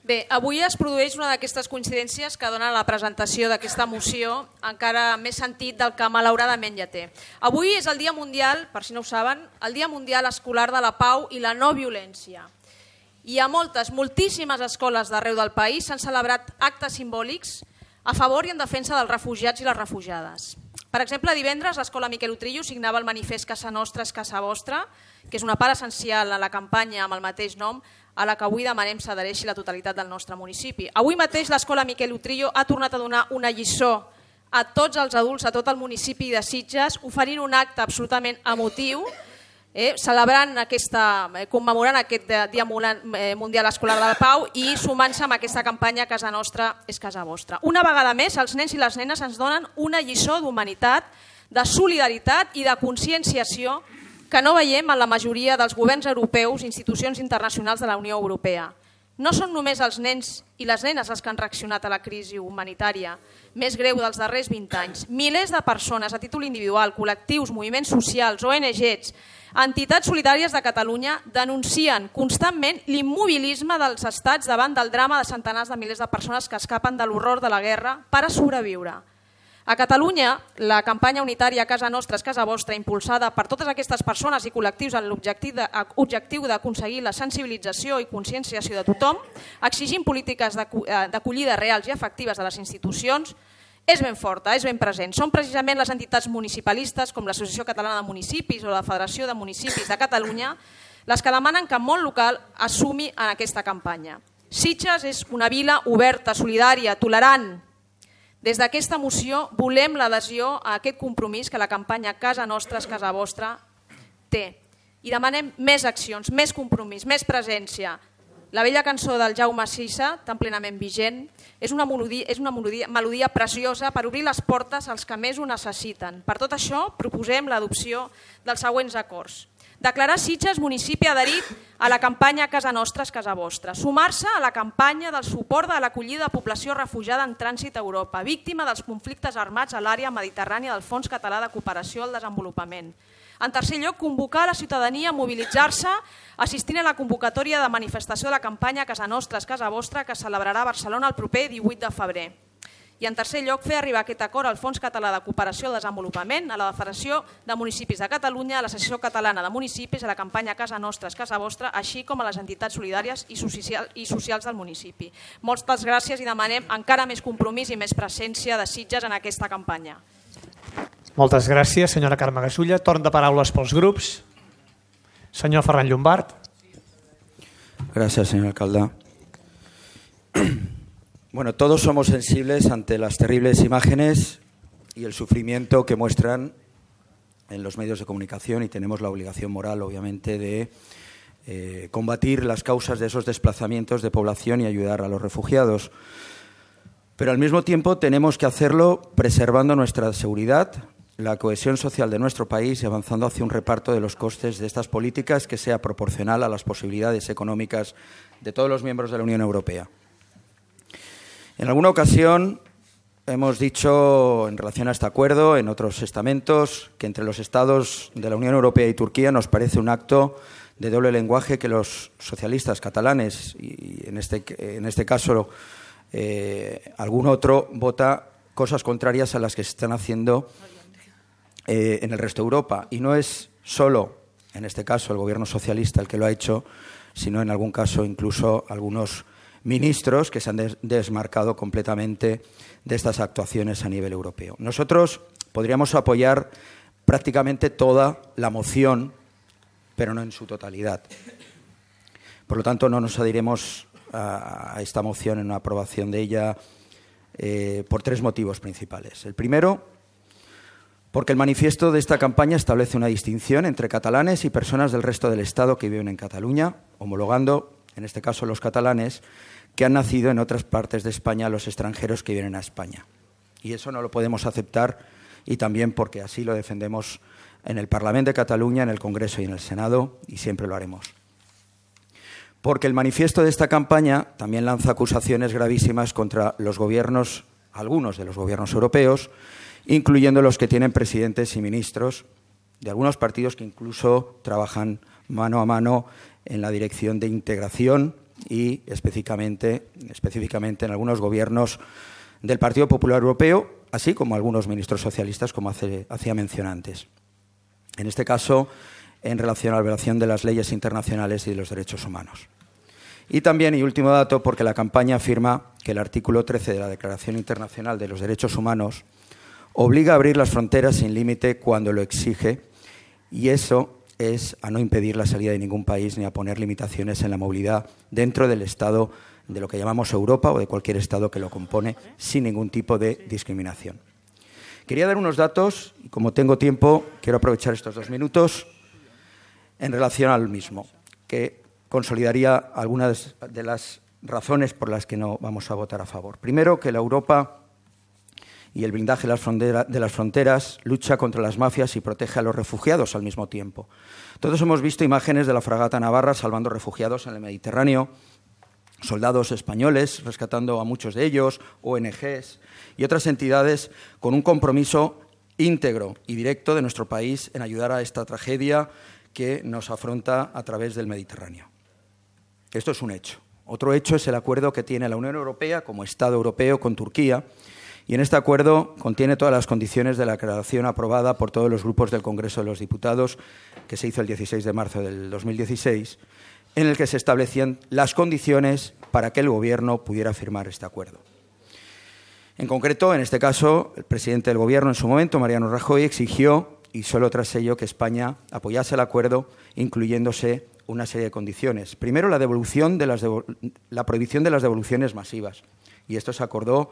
Bé, avui es produeix una d'aquestes coincidències que donen la presentació d'aquesta moció encara més sentit del que malauradament ja té. Avui és el Dia Mundial, per si no ho saben, el Dia Mundial Escolar de la Pau i la No Violència. I a moltíssimes escoles d'arreu del país s'han celebrat actes simbòlics a favor i en defensa dels refugiats i les refugiades. Per exemple, divendres l'escola Miquel Utrillo signava el manifest Casa Nostra és Casa Vostra, que és una part essencial a la campanya amb el mateix nom, a la que avui demanem s'adhereixi la totalitat del nostre municipi. Avui mateix l'escola Miquel Utrillo ha tornat a donar una lliçó a tots els adults, a tot el municipi de Sitges, oferint un acte absolutament emotiu, commemorant aquest Dia Mundial Escolar de la Pau i sumant-se amb aquesta campanya Casa Nostra és Casa Vostra. Una vegada més, els nens i les nenes ens donen una lliçó d'humanitat, de solidaritat i de conscienciació que no veiem en la majoria dels governs europeus i institucions internacionals de la Unió Europea. No són només els nens i les nenes els que han reaccionat a la crisi humanitària més greu dels darrers 20 anys. Milers de persones a títol individual, col·lectius, moviments socials, ONGs, entitats solidàries de Catalunya denuncien constantment l'immobilisme dels estats davant del drama de centenars de milers de persones que escapen de l'horror de la guerra per a sobreviure. A Catalunya, la campanya unitària Casa Nostra és Casa Vostra, impulsada per totes aquestes persones i col·lectius amb l'objectiu d'aconseguir la sensibilització i conscienciació de tothom, exigint polítiques d'acollida reals i efectives de les institucions, és ben forta, és ben present. Són precisament les entitats municipalistes, com l'Associació Catalana de Municipis o la Federació de Municipis de Catalunya, les que demanen que el món local assumi en aquesta campanya. Sitges és una vila oberta, solidària, tolerant. Des d'aquesta moció volem l'adhesió a aquest compromís que la campanya Casa Nostra és Casa Vostra té. I demanem més accions, més compromís, més presència. La vella cançó del Jaume Sisa, tan plenament vigent, és una melodia preciosa per obrir les portes als que més ho necessiten. Per tot això, proposem l'adopció dels següents acords. Declarar Sitges municipi adherit a la campanya Casa Nostra és Casa Vostra. Sumar-se a la campanya del suport de l'acollida de població refugiada en trànsit a Europa, víctima dels conflictes armats a l'àrea mediterrània del Fons Català de Cooperació al Desenvolupament. En tercer lloc, convocar la ciutadania a mobilitzar-se assistint a la convocatòria de manifestació de la campanya Casa Nostra és Casa Vostra que es celebrarà a Barcelona el proper 18 de febrer. I en tercer lloc, fer arribar aquest acord al Fons Català de Cooperació al Desenvolupament, a la Federació de Municipis de Catalunya, a l'Associació Catalana de Municipis, a la campanya Casa Nostra és Casa Vostra, així com a les entitats solidàries i socials del municipi. Moltes gràcies i demanem encara més compromís i més presència de Sitges en aquesta campanya. Moltes gràcies, senyora Carme Gasulla. Torn de paraules pels grups. Senyor Ferran Llombart. Gracias, señor alcalde. Bueno, todos somos sensibles ante las terribles imágenes y el sufrimiento que muestran en los medios de comunicación y tenemos la obligación moral, obviamente, de combatir las causas de esos desplazamientos de población y ayudar a los refugiados. Pero al mismo tiempo tenemos que hacerlo preservando nuestra seguridad, la cohesión social de nuestro país y avanzando hacia un reparto de los costes de estas políticas que sea proporcional a las posibilidades económicas de todos los miembros de la Unión Europea. En alguna ocasión hemos dicho, en relación a este acuerdo, en otros estamentos, que entre los Estados de la Unión Europea y Turquía nos parece un acto de doble lenguaje que los socialistas catalanes, y en este caso algún otro, vota cosas contrarias a las que se están haciendo en el resto de Europa. Y no es solo, en este caso, el gobierno socialista el que lo ha hecho, sino en algún caso incluso algunos ministros que se han desmarcado completamente de estas actuaciones a nivel europeo. Nosotros podríamos apoyar prácticamente toda la moción, pero no en su totalidad. Por lo tanto, no nos adheriremos a esta moción en una aprobación de ella por tres motivos principales. El primero, porque el manifiesto de esta campaña establece una distinción entre catalanes y personas del resto del Estado que viven en Cataluña, homologando, en este caso, los catalanes que han nacido en otras partes de España a los extranjeros que vienen a España. Y eso no lo podemos aceptar, y también porque así lo defendemos en el Parlamento de Cataluña, en el Congreso y en el Senado, y siempre lo haremos. Porque el manifiesto de esta campaña también lanza acusaciones gravísimas contra los gobiernos, algunos de los gobiernos europeos, incluyendo los que tienen presidentes y ministros de algunos partidos que incluso trabajan mano a mano en la dirección de integración y específicamente en algunos gobiernos del Partido Popular Europeo, así como algunos ministros socialistas, como hacía mención antes. En este caso, en relación a la violación de las leyes internacionales y de los derechos humanos. Y también, y último dato, porque la campaña afirma que el artículo 13 de la Declaración Internacional de los Derechos Humanos obliga a abrir las fronteras sin límite cuando lo exige, y eso es a no impedir la salida de ningún país ni a poner limitaciones en la movilidad dentro del Estado de lo que llamamos Europa o de cualquier Estado que lo compone sin ningún tipo de discriminación. Quería dar unos datos y como tengo tiempo quiero aprovechar estos 2 minutos en relación al mismo, que consolidaría algunas de las razones por las que no vamos a votar a favor. Primero, que la Europa y el blindaje de las fronteras lucha contra las mafias y protege a los refugiados al mismo tiempo. Todos hemos visto imágenes de la fragata Navarra salvando refugiados en el Mediterráneo, soldados españoles rescatando a muchos de ellos, ONGs y otras entidades con un compromiso íntegro y directo de nuestro país en ayudar a esta tragedia que nos afronta a través del Mediterráneo. Esto es un hecho. Otro hecho es el acuerdo que tiene la Unión Europea como Estado europeo con Turquía, y en este acuerdo contiene todas las condiciones de la declaración aprobada por todos los grupos del Congreso de los Diputados, que se hizo el 16 de marzo del 2016, en el que se establecían las condiciones para que el Gobierno pudiera firmar este acuerdo. En concreto, en este caso, el presidente del Gobierno en su momento, Mariano Rajoy, exigió, y solo tras ello, que España apoyase el acuerdo, incluyéndose una serie de condiciones. Primero, la prohibición de las devoluciones masivas, y esto se acordó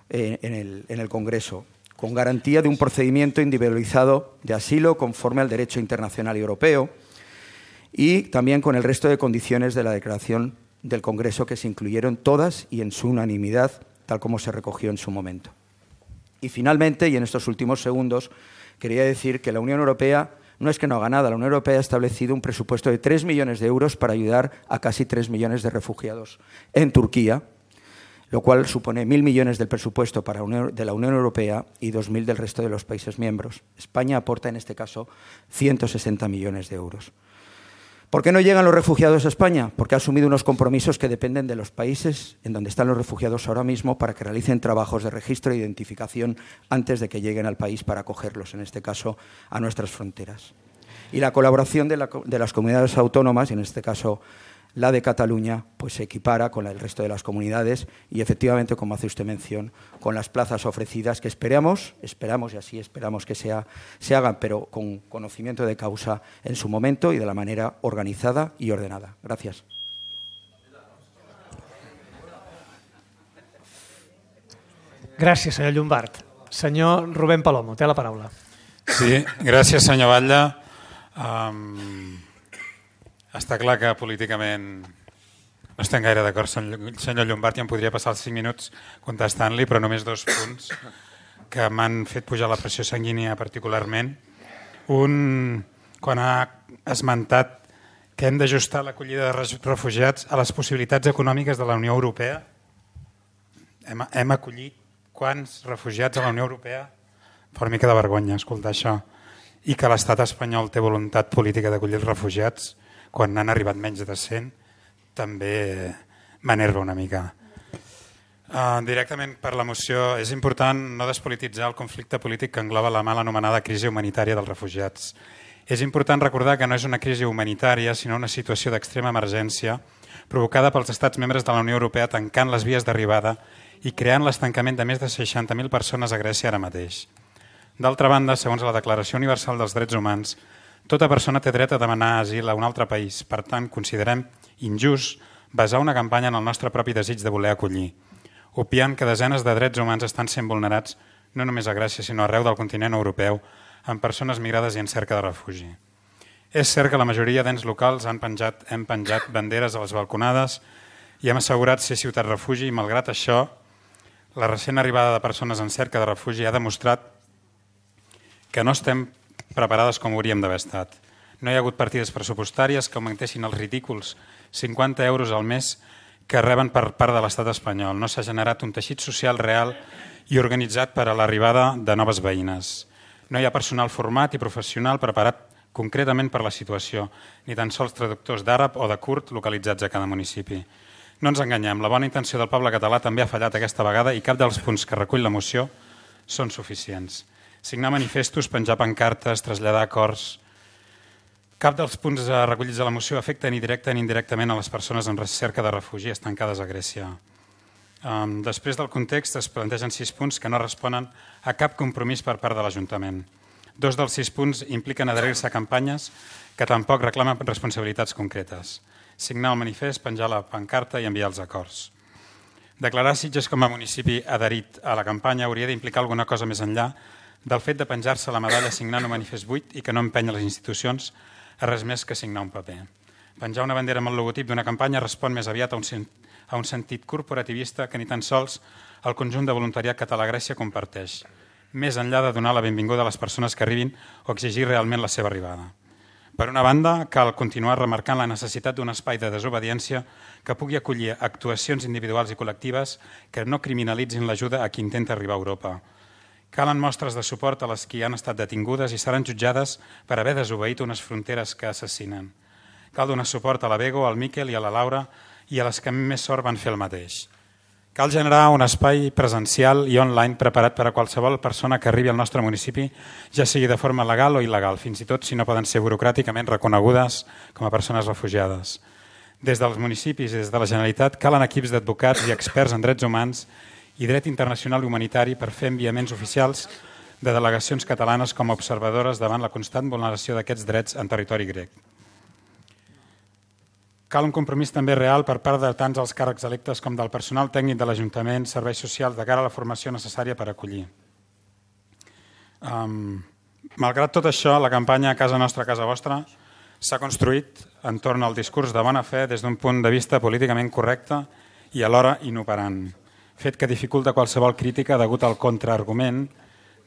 en el Congreso, con garantía de un procedimiento individualizado de asilo conforme al derecho internacional y europeo, y también con el resto de condiciones de la declaración del Congreso que se incluyeron todas y en su unanimidad, tal como se recogió en su momento. Y finalmente, y en estos últimos segundos, quería decir que la Unión Europea no es que no haga nada. La Unión Europea ha establecido un presupuesto de 3 millones de euros para ayudar a casi 3 millones de refugiados en Turquía, lo cual supone 1.000 millones del presupuesto de la Unión Europea y 2.000 del resto de los países miembros. España aporta en este caso 160 millones de euros. ¿Por qué no llegan los refugiados a España? Porque ha asumido unos compromisos que dependen de los países en donde están los refugiados ahora mismo para que realicen trabajos de registro e identificación antes de que lleguen al país para acogerlos, en este caso a nuestras fronteras. Y la colaboración de las comunidades autónomas, y en este caso la de Cataluña, pues se equipara con el resto de las comunidades y efectivamente, como hace usted mención, con las plazas ofrecidas que esperamos y así esperamos que se hagan, pero con conocimiento de causa en su momento y de la manera organizada y ordenada. Gracias. Gràcies, senyor Llombart. Senyor Rubén Palomo, té la paraula. Sí, gràcies, senyor Batlle. Està clar que políticament no estem gaire d'acord, senyor Llombart, i em podria passar els 5 minuts contestant-li, però només 2 punts que m'han fet pujar la pressió sanguínia particularment. Un, quan ha esmentat que hem d'ajustar l'acollida de refugiats a les possibilitats econòmiques de la Unió Europea. Hem acollit quants refugiats a la Unió Europea? Fa una mica de vergonya escoltar això. I que l'estat espanyol té voluntat política d'acollir els refugiats quan n'han arribat menys de 100, també m'enerva una mica. Directament per la moció, és important no despolititzar el conflicte polític que engloba la mal anomenada crisi humanitària dels refugiats. És important recordar que no és una crisi humanitària, sinó una situació d'extrema emergència provocada pels estats membres de la Unió Europea tancant les vies d'arribada i creant l'estancament de més de 60.000 persones a Grècia ara mateix. D'altra banda, segons la Declaració Universal dels Drets Humans, tota persona té dret a demanar asil a un altre país. Per tant, considerem injust basar una campanya en el nostre propi desig de voler acollir, obviant que desenes de drets humans estan sent vulnerats no només a Grècia, sinó arreu del continent europeu, amb persones migrades i en cerca de refugi. És cert que la majoria d'ens locals hem penjat banderes a les balconades i hem assegurat ser ciutat refugi i, malgrat això, la recent arribada de persones en cerca de refugi ha demostrat que no estem preparades com hauríem d'haver estat. No hi ha hagut partides pressupostàries que augmentessin els ridículs 50 euros al mes que reben per part de l'estat espanyol. No s'ha generat un teixit social real i organitzat per a l'arribada de noves veïnes. No hi ha personal format i professional preparat concretament per la situació, ni tan sols traductors d'àrab o de kurd localitzats a cada municipi. No ens enganyem, la bona intenció del poble català també ha fallat aquesta vegada i cap dels punts que recull la moció són suficients. Signar manifestos, penjar pancartes, traslladar acords... Cap dels punts recollits a la moció afecta ni directa ni indirectament a les persones en recerca de refugi estancades a Grècia. Després del context es plantegen 6 punts que no responen a cap compromís per part de l'Ajuntament. 2 dels 6 punts impliquen adherir-se a campanyes que tampoc reclamen responsabilitats concretes. Signar el manifest, penjar la pancarta i enviar els acords. Declarar Sitges com a municipi adherit a la campanya hauria d'implicar alguna cosa més enllà del fet de penjar-se la medalla signant un manifest buit i que no empenya les institucions a res més que signar un paper. Penjar una bandera amb el logotip d'una campanya respon més aviat a un sentit corporativista que ni tan sols el conjunt de voluntariat català a Grècia comparteix, més enllà de donar la benvinguda a les persones que arribin o exigir realment la seva arribada. Per una banda, cal continuar remarcant la necessitat d'un espai de desobediència que pugui acollir actuacions individuals i col·lectives que no criminalitzin l'ajuda a qui intenta arribar a Europa. Calen mostres de suport a les que han estat detingudes i seran jutjades per haver desobeït unes fronteres que assassinen. Cal donar suport a la Bego, al Miquel i a la Laura i a les que més sort van fer el mateix. Cal generar un espai presencial i online preparat per a qualsevol persona que arribi al nostre municipi, ja sigui de forma legal o il·legal, fins i tot si no poden ser burocràticament reconegudes com a persones refugiades. Des dels municipis i des de la Generalitat calen equips d'advocats i experts en drets humans i dret internacional i humanitari per fer enviaments oficials de delegacions catalanes com a observadores davant la constant vulneració d'aquests drets en territori grec. Cal un compromís també real per part de tants els càrrecs electes com del personal tècnic de l'Ajuntament, serveis socials, de cara a la formació necessària per acollir. Malgrat tot això, la campanya Casa Nostra, Casa Vostra s'ha construït entorn al discurs de bona fe des d'un punt de vista políticament correcte i alhora inoperant, fet que dificulta qualsevol crítica degut al contraargument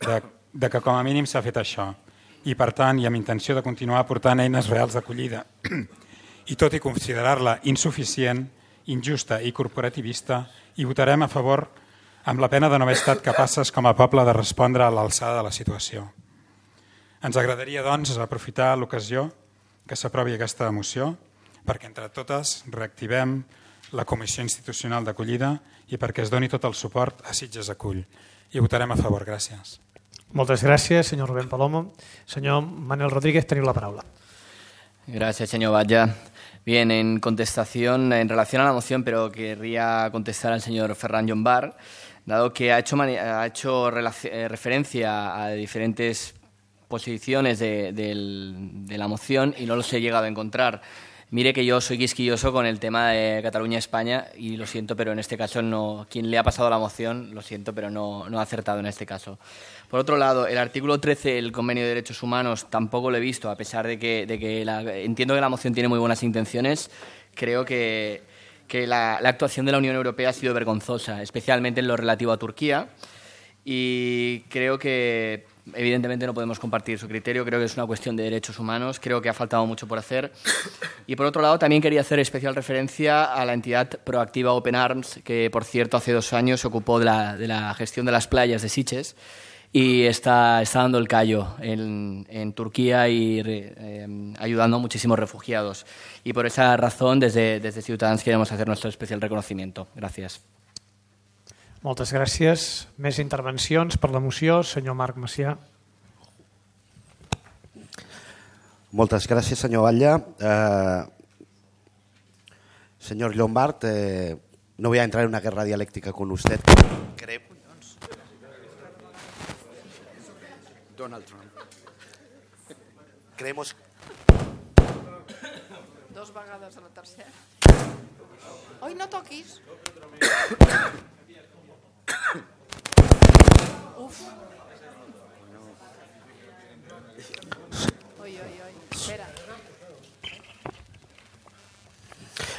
de que com a mínim s'ha fet això i per tant i amb intenció de continuar aportant eines reals d'acollida i tot i considerar-la insuficient, injusta i corporativista, hi votarem a favor amb la pena de no haver estat capaces com a poble de respondre a l'alçada de la situació. Ens agradaria, doncs, aprofitar l'ocasió que s'aprovi aquesta moció perquè entre totes reactivem la Comissió Institucional d'Acollida i perquè es doni tot el suport a Sitges Acull. I votarem a favor. Gràcies. Moltes gràcies, senyor Rubén Palomo. Senyor Manuel Rodríguez, teniu la paraula. Gracias, señor Batlle. Bien, en contestación, en relación a la moción, pero querría contestar al señor Ferran Llombart, dado que ha hecho referencia a diferentes posiciones de la moción y no los he llegado a encontrar. Mire que yo soy quisquilloso con el tema de Cataluña-España y lo siento, pero en este caso no. Quien le ha pasado la moción, lo siento, pero no ha acertado en este caso. Por otro lado, el artículo 13 del Convenio de Derechos Humanos tampoco lo he visto, a pesar de que entiendo que la moción tiene muy buenas intenciones. Creo que la actuación de la Unión Europea ha sido vergonzosa, especialmente en lo relativo a Turquía, y creo que evidentemente no podemos compartir su criterio, creo que es una cuestión de derechos humanos, creo que ha faltado mucho por hacer. Y por otro lado, también quería hacer especial referencia a la entidad proactiva Open Arms, que por cierto hace 2 años se ocupó de la gestión de las playas de Sitges y está dando el callo en Turquía y ayudando a muchísimos refugiados. Y por esa razón, desde Ciutadans queremos hacer nuestro especial reconocimiento. Gracias. Moltes gràcies. Més intervencions per la moció. Senyor Marc Macià. Moltes gràcies, senyor Batlle. Señor Llombart, no voy a entrar en una guerra dialéctica con usted. Donald Trump. Creemos... 2 vegades a la tercera. Oi, no toquis. Uf. Oi, espera.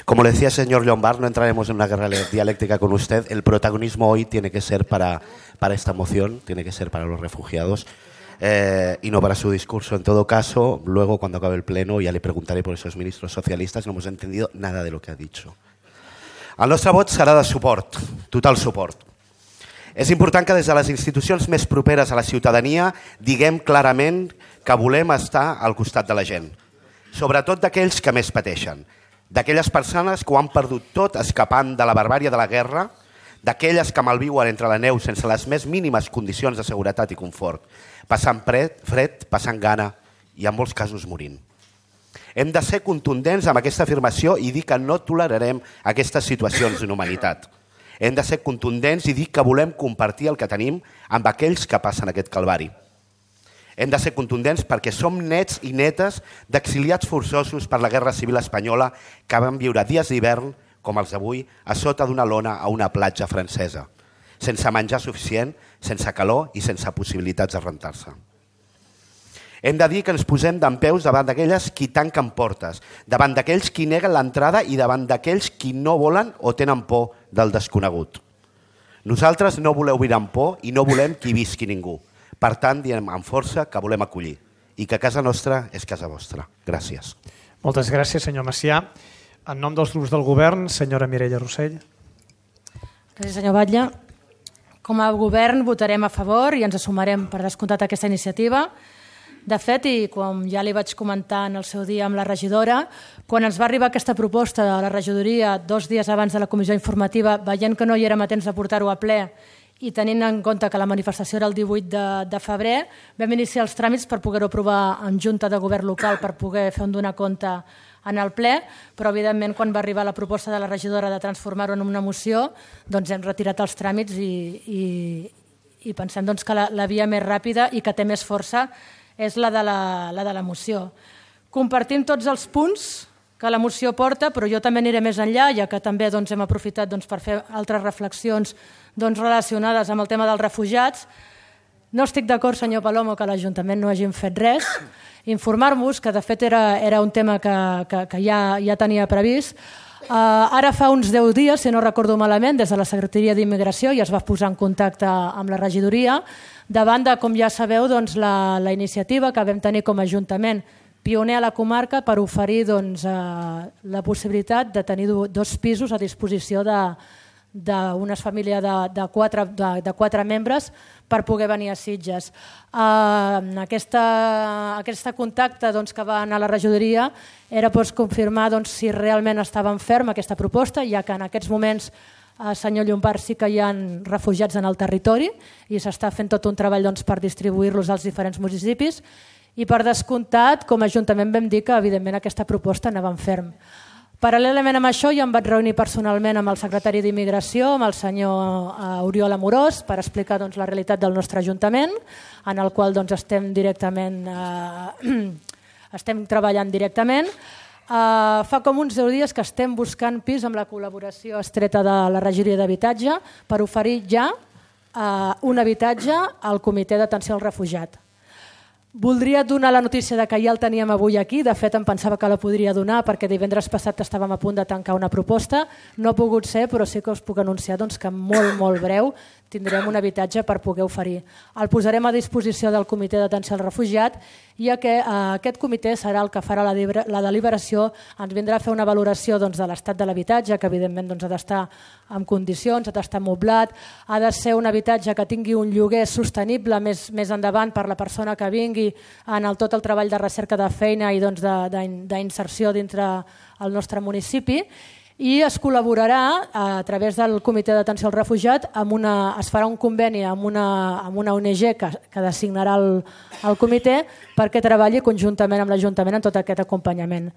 Como le decía el señor Llombart, no entraremos en una guerra dialéctica con usted. El protagonismo hoy tiene que ser para esta moción, tiene que ser para los refugiados y no para su discurso. En todo caso, luego cuando acabe el pleno ya le preguntaré por esos ministros socialistas, no hemos entendido nada de lo que ha dicho. El nostre vot serà de suport, total suport. És important que des de les institucions més properes a la ciutadania diguem clarament que volem estar al costat de la gent, sobretot d'aquells que més pateixen, d'aquelles persones que ho han perdut tot escapant de la barbària de la guerra, d'aquelles que malviuen entre la neu sense les més mínimes condicions de seguretat i confort, passant fred, passant gana i en molts casos morint. Hem de ser contundents amb aquesta afirmació i dir que no tolerarem aquestes situacions d'inhumanitat. Hem de ser contundents i dir que volem compartir el que tenim amb aquells que passen aquest calvari. Hem de ser contundents perquè som nets i netes d'exiliats forçosos per la Guerra Civil Espanyola que van viure dies d'hivern, com els d'avui, a sota d'una lona a una platja francesa, sense menjar suficient, sense calor i sense possibilitats de rentar-se. Hem de dir que ens posem dempeus davant d'aquelles qui tanquen portes, davant d'aquells qui neguen l'entrada i davant d'aquells qui no volen o tenen por del desconegut. Nosaltres no voleu viure amb por i no volem que hi visqui ningú. Per tant, diem amb força que volem acollir i que casa nostra és casa vostra. Gràcies. Moltes gràcies, senyor Macià. En nom dels grups del govern, senyora Mireia Rossell. Gràcies, senyor Batlle. Com a govern votarem a favor i ens assumarem per descomptat aquesta iniciativa. De fet, i com ja li vaig comentar en el seu dia amb la regidora, quan ens va arribar aquesta proposta de la regidoria 2 dies abans de la comissió informativa, veient que no hi érem a temps de portar-ho a ple i tenint en compte que la manifestació era el 18 de febrer, vam iniciar els tràmits per poder-ho aprovar en Junta de Govern local per poder fer un donar compte en el ple, però evidentment quan va arribar la proposta de la regidora de transformar-ho en una moció, doncs hem retirat els tràmits i pensem doncs, que la via més ràpida i que té més força és la de la moció. Compartim tots els punts que la moció porta, però jo també aniré més enllà, ja que també hem aprofitat per fer altres reflexions relacionades amb el tema dels refugiats. No estic d'acord, senyor Palomo, que l'Ajuntament no hagin fet res. Informar-vos, que de fet era un tema que ja tenia previst. Ara fa uns 10 dies, si no recordo malament, des de la Secretaria d'Immigració ja es va posar en contacte amb la regidoria davant de, com ja sabeu, la iniciativa que vam tenir com a Ajuntament pioner a la comarca per oferir la possibilitat de tenir 2 pisos a disposició d'una família de 4 membres per poder venir a Sitges. Aquest contacte que va anar a la regidoria era confirmar si realment estava en ferm aquesta proposta, ja que en aquests moments, senyor Llombart, sí que hi ha refugiats en el territori i s'està fent tot un treball per distribuir-los als diferents municipis i per descomptat, com a Ajuntament vam dir que evidentment aquesta proposta anava en ferm. Paral·lelament amb això, ja em vaig reunir personalment amb el secretari d'Immigració, amb el senyor Oriol Amorós, per explicar la realitat del nostre Ajuntament, en el qual estem treballant directament. Fa com uns 10 dies que estem buscant pis amb la col·laboració estreta de la regidoria d'habitatge per oferir ja un habitatge al comitè d'atenció al refugiat. Voldria donar la notícia que ja el teníem avui aquí, de fet em pensava que la podria donar perquè divendres passat estàvem a punt de tancar una proposta, no ha pogut ser, però sí que us puc anunciar que molt breu tindrem un habitatge per poder oferir. El posarem a disposició del comitè d'atenció al refugiat i aquest comitè serà el que farà la deliberació, ens vindrà a fer una valoració de l'estat de l'habitatge, que evidentment ha d'estar en condicions, ha d'estar moblat, ha de ser un habitatge que tingui un lloguer sostenible més endavant per la persona que vingui en tot el treball de recerca de feina i d'inserció dintre el nostre municipi. I es col·laborarà a través del comitè d'atenció al refugiat, es farà un conveni amb una ONG que designarà el comitè perquè treballi conjuntament amb l'Ajuntament en tot aquest acompanyament.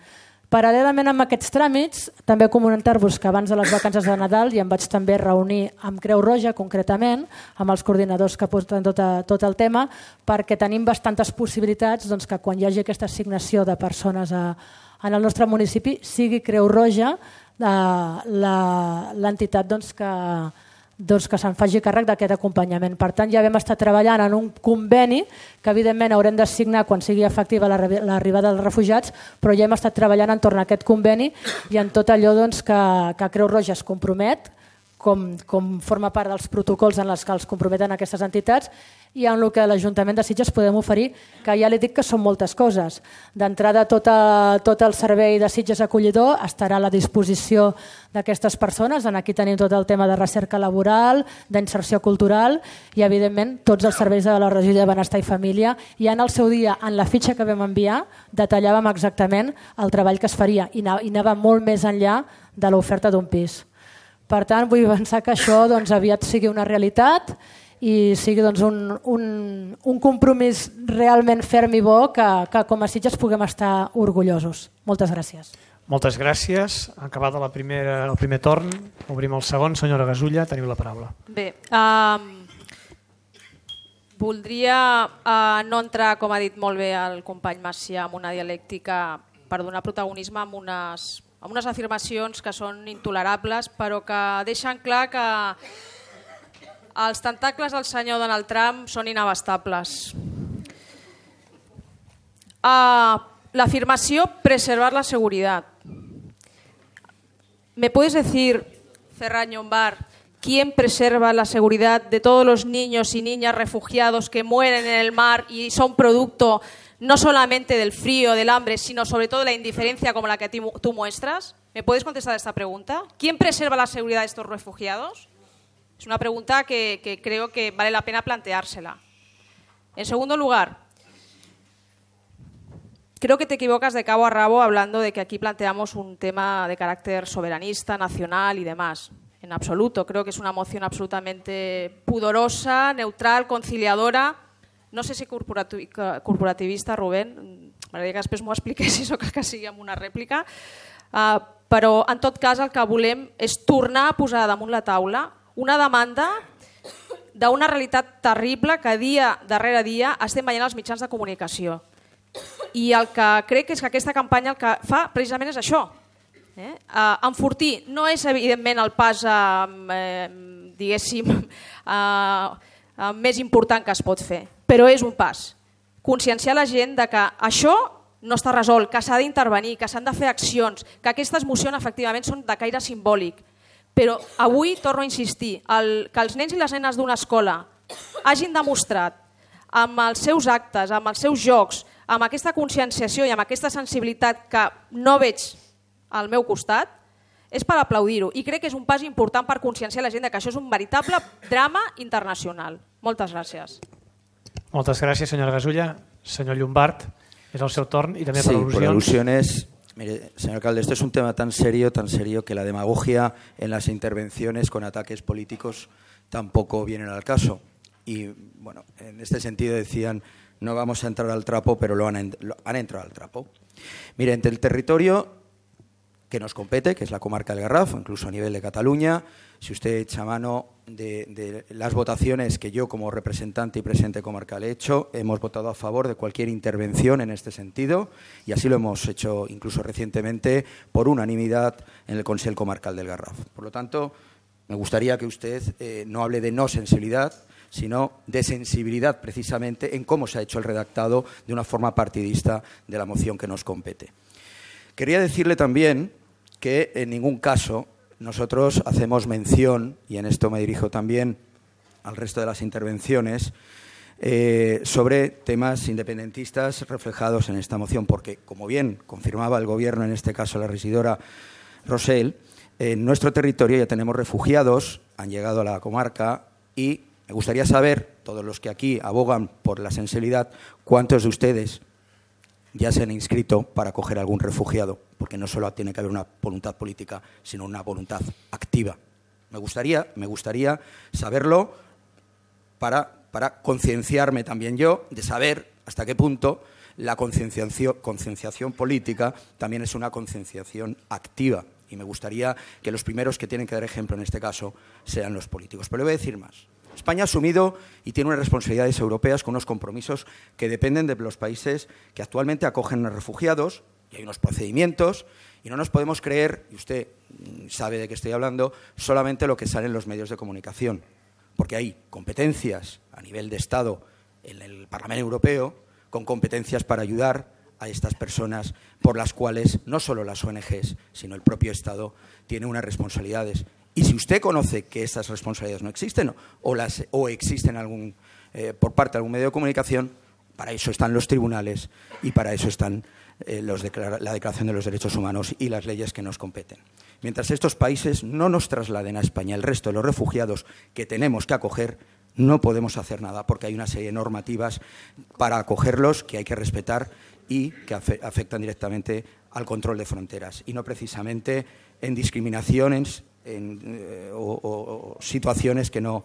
Paral·lelament amb aquests tràmits, també comentar-vos que abans de les vacances de Nadal ja em vaig també reunir amb Creu Roja, concretament, amb els coordinadors que porten tot el tema, perquè tenim bastantes possibilitats que quan hi hagi aquesta assignació de persones en el nostre municipi sigui Creu Roja l'entitat que se'n faci càrrec d'aquest acompanyament. Per tant, ja vam estar treballant en un conveni que evidentment haurem de signar quan sigui efectiva l'arribada dels refugiats, però ja hem estat treballant entorn a aquest conveni i en tot allò que Creu Roja es compromet com forma part dels protocols en els que els comprometen aquestes entitats, i en el que l'Ajuntament de Sitges podem oferir, que ja li dic que són moltes coses. D'entrada, tot el servei de Sitges acollidor estarà a la disposició d'aquestes persones. Aquí tenim tot el tema de recerca laboral, d'inserció cultural i, evidentment, tots els serveis de la regió de Benestar i Família. I en el seu dia, en la fitxa que vam enviar, detallàvem exactament el treball que es faria i anava molt més enllà de l'oferta d'un pis. Per tant, vull pensar que això aviat sigui una realitat i sigui un compromís realment ferm i bo que com a Sitges puguem estar orgullosos. Moltes gràcies. Moltes gràcies. Acabat el primer torn, obrim el segon. Senyora Gasulla, teniu la paraula. Bé, voldria no entrar, com ha dit molt bé el company Macià, en una dialèctica per donar protagonisme a unes afirmacions que són intolerables, però que deixen clar que els tentacles del senyor Donald Trump són inabastables. La afirmació preservar la seguridad. ¿Me puedes decir, Ferran Llombart, quién preserva la seguridad de todos los niños y niñas refugiados que mueren en el mar y son producto no solamente del frío, del hambre, sino sobre todo de la indiferencia como la que tú muestras? ¿Me puedes contestar esta pregunta? ¿Quién preserva la seguridad de estos refugiados? Es una pregunta que creo que vale la pena planteársela. En segundo lugar, creo que te equivocas de cabo a rabo hablando de que aquí planteamos un tema de carácter soberanista, nacional y demás. En absoluto, creo que es una moción absolutamente pudorosa, neutral, conciliadora. No sé si corporativista, Rubén, m'agradaria que després m'ho expliquessis o que sigui amb una rèplica, però en tot cas el que volem és tornar a posar damunt la taula una demanda d'una realitat terrible que dia darrere dia estem veient als mitjans de comunicació. I el que crec és que aquesta campanya el que fa precisament és això. Enfortir no és evidentment el pas diguéssim més important que es pot fer, però és un pas. Conscienciar la gent de que això no està resolt, que s'ha d'intervenir, que s'han de fer accions, que aquestes mocions efectivament són de caire simbòlic. Però avui torno a insistir, que els nens i les nenes d'una escola hagin demostrat amb els seus actes, amb els seus jocs, amb aquesta conscienciació i amb aquesta sensibilitat que no veig al meu costat, és per aplaudir-ho. I crec que és un pas important per conscienciar la gent que això és un veritable drama internacional. Moltes gràcies. Moltes gràcies, senyora Gasulla. Senyor Llombart, és el seu torn i també per al·lusions. Sí, por alusiones. Mire, señor alcalde, esto es un tema tan serio que la demagogia en las intervenciones con ataques políticos tampoco vienen al caso. Y, bueno, en este sentido decían, no vamos a entrar al trapo, pero han entrado al trapo. Mire, entre el territorio que nos compete, que es la comarca del Garraf, incluso a nivel de Cataluña, si usted echa mano de las votaciones que yo como representante y presidente comarcal he hecho, hemos votado a favor de cualquier intervención en este sentido y así lo hemos hecho incluso recientemente por unanimidad en el Consell Comarcal del Garraf. Por lo tanto, me gustaría que usted no hable de no sensibilidad, sino de sensibilidad precisamente en cómo se ha hecho el redactado de una forma partidista de la moción que nos compete. Quería decirle también que en ningún caso nosotros hacemos mención, y en esto me dirijo también al resto de las intervenciones, sobre temas independentistas reflejados en esta moción, porque, como bien confirmaba el Gobierno, en este caso la regidora Rosell, en nuestro territorio ya tenemos refugiados, han llegado a la comarca y me gustaría saber, todos los que aquí abogan por la sensibilidad, cuántos de ustedes ya se han inscrito para acoger a algún refugiado, porque no solo tiene que haber una voluntad política, sino una voluntad activa. Me gustaría saberlo para concienciarme también yo de saber hasta qué punto la concienciación política también es una concienciación activa. Y me gustaría que los primeros que tienen que dar ejemplo en este caso sean los políticos. Pero le voy a decir más. España ha asumido y tiene unas responsabilidades europeas con unos compromisos que dependen de los países que actualmente acogen a refugiados, y hay unos procedimientos, y no nos podemos creer, y usted sabe de qué estoy hablando, solamente lo que sale en los medios de comunicación, porque hay competencias a nivel de Estado en el Parlamento Europeo, con competencias para ayudar a estas personas por las cuales no solo las ONGs, sino el propio Estado tiene unas responsabilidades. Y si usted conoce que estas responsabilidades no existen o existen por parte de algún medio de comunicación, para eso están los tribunales y para eso están la Declaración de los Derechos Humanos y las leyes que nos competen. Mientras estos países no nos trasladen a España el resto de los refugiados que tenemos que acoger, no podemos hacer nada, porque hay una serie de normativas para acogerlos que hay que respetar y que afectan directamente al control de fronteras y no precisamente en discriminaciones o situaciones que no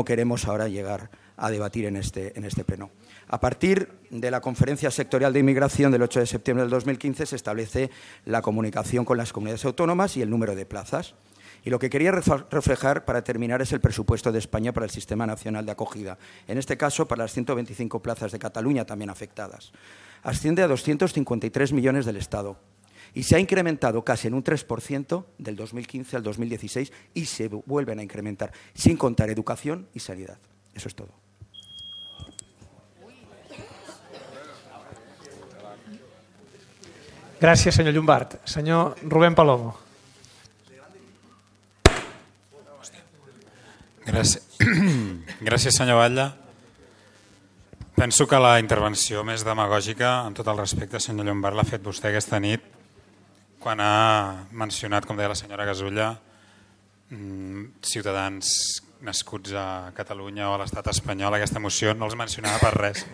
queremos ahora llegar a debatir en este pleno. A partir de la Conferencia Sectorial de Inmigración del 8 de septiembre del 2015 se establece la comunicación con las comunidades autónomas y el número de plazas. Y lo que quería reflejar para terminar es el presupuesto de España para el Sistema Nacional de Acogida. En este caso, para las 125 plazas de Cataluña también afectadas. Asciende a 253 millones del Estado. Y se ha incrementado casi en un 3% del 2015 al 2016 y se vuelven a incrementar, sin contar educación y sanidad. Eso es todo. Gràcies, senyor Llombart. Senyor Rubén Palomo. Gràcies, senyor Batlle. Penso que la intervenció més demagògica, amb tot el respecte, senyor Llombart, l'ha fet vostè aquesta nit quan ha mencionat, com deia la senyora Gasulla, ciutadans nascuts a Catalunya o a l'estat espanyol. Aquesta moció no els mencionava per res.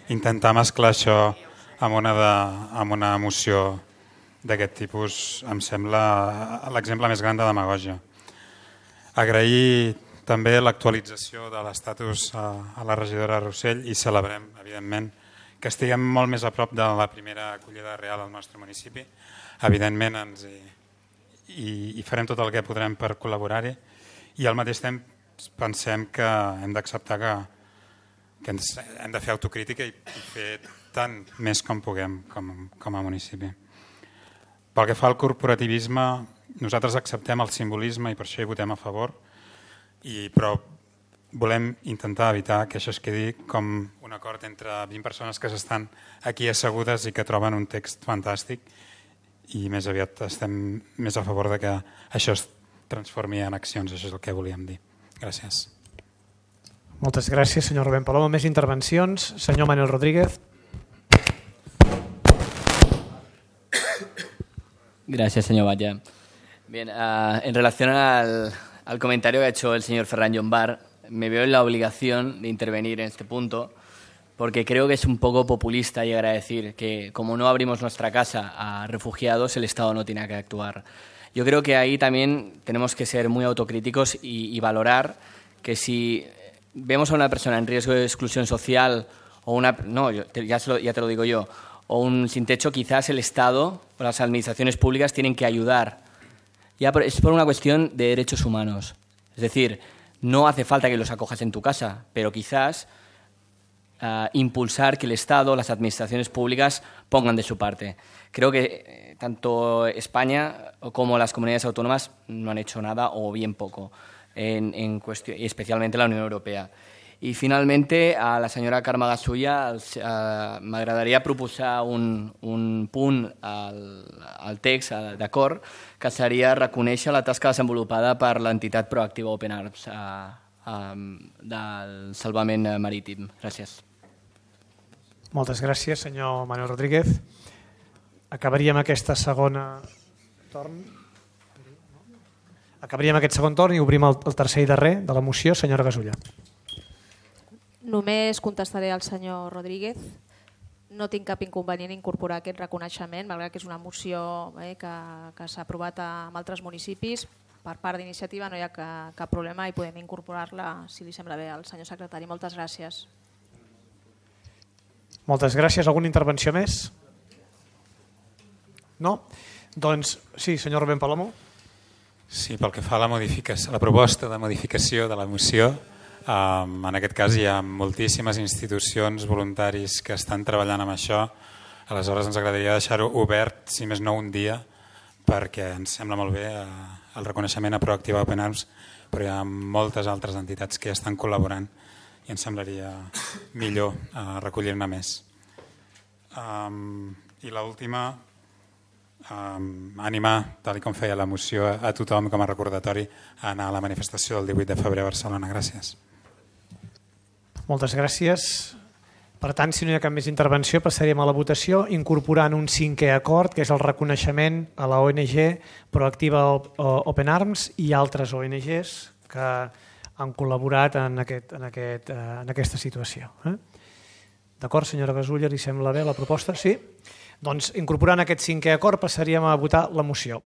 Intentar mesclar això amb una moció d'aquest tipus em sembla l'exemple més gran de demagògia. Agrair també l'actualització de l'estatus a la regidora Rossell i celebrem, evidentment, que estiguem molt més a prop de la primera acollida real al nostre municipi. Evidentment, i farem tot el que podrem per col·laborar-hi i al mateix temps pensem que hem d'acceptar que hem de fer autocrítica i fer tant més com puguem com a municipi. Pel que fa al corporativisme, nosaltres acceptem el simbolisme i per això hi votem a favor, però volem intentar evitar que això es quedi com un acord entre 20 persones que estan aquí assegudes i que troben un text fantàstic i més aviat estem més a favor de que això es transformi en accions, això és el que volíem dir. Gràcies. Moltes gràcies, senyor Rubén Palomo. Més intervencions. Senyor Manuel Rodríguez. Gracias, señor Batlle. Bien, en relación al comentario que ha hecho el señor Ferran Llombart, me veo en la obligación de intervenir en este punto porque creo que es un poco populista llegar a decir que como no abrimos nuestra casa a refugiados, el Estado no tiene que actuar. Yo creo que ahí también tenemos que ser muy autocríticos y valorar que si vemos a una persona en riesgo de exclusión social o ya te lo digo yo, o un sin techo, quizás el Estado o las administraciones públicas tienen que ayudar. Es por una cuestión de derechos humanos. Es decir, no hace falta que los acojas en tu casa, pero quizás impulsar que el Estado, las administraciones públicas pongan de su parte. Creo que tanto España como las comunidades autónomas no han hecho nada o bien poco, especialmente la Unión Europea. I finalment, a la senyora Carme Gasulla m'agradaria proposar un punt al text d'acord que seria reconèixer la tasca desenvolupada per l'entitat proactiva Open Arms del salvament marítim. Gràcies. Moltes gràcies, senyor Manuel Rodríguez. Acabaríem aquest segon torn i obrim el tercer i darrer de la moció. Senyora Gasulla. Només contestaré al senyor Rodríguez. No tinc cap inconvenient incorporar aquest reconeixement, malgrat que és una moció que s'ha aprovat en altres municipis. Per part d'iniciativa no hi ha cap problema i podem incorporar-la, si li sembla bé, al senyor secretari. Moltes gràcies. Moltes gràcies. Alguna intervenció més? No? Doncs sí, senyor Rubén Palomo. Sí, pel que fa a la proposta de modificació de la moció, en aquest cas hi ha moltíssimes institucions, voluntaris que estan treballant amb això. Aleshores ens agradaria deixar-ho obert, si més no un dia, perquè ens sembla molt bé el reconeixement a Proactiva Open Arms, però hi ha moltes altres entitats que estan col·laborant i ens semblaria millor recollir-ne més. I l'última, animar, tal com feia la moció, a tothom com a recordatori a anar a la manifestació del 18 de febrer a Barcelona. Gràcies. Moltes gràcies. Per tant, si no hi ha cap més intervenció, passaríem a la votació incorporant un 5è acord, que és el reconeixement a la ONG Proactiva Open Arms i altres ONGs que han col·laborat en aquesta situació. D'acord, senyora Gasulla, li sembla bé la proposta? Sí? Doncs incorporant aquest 5è acord passaríem a votar la moció.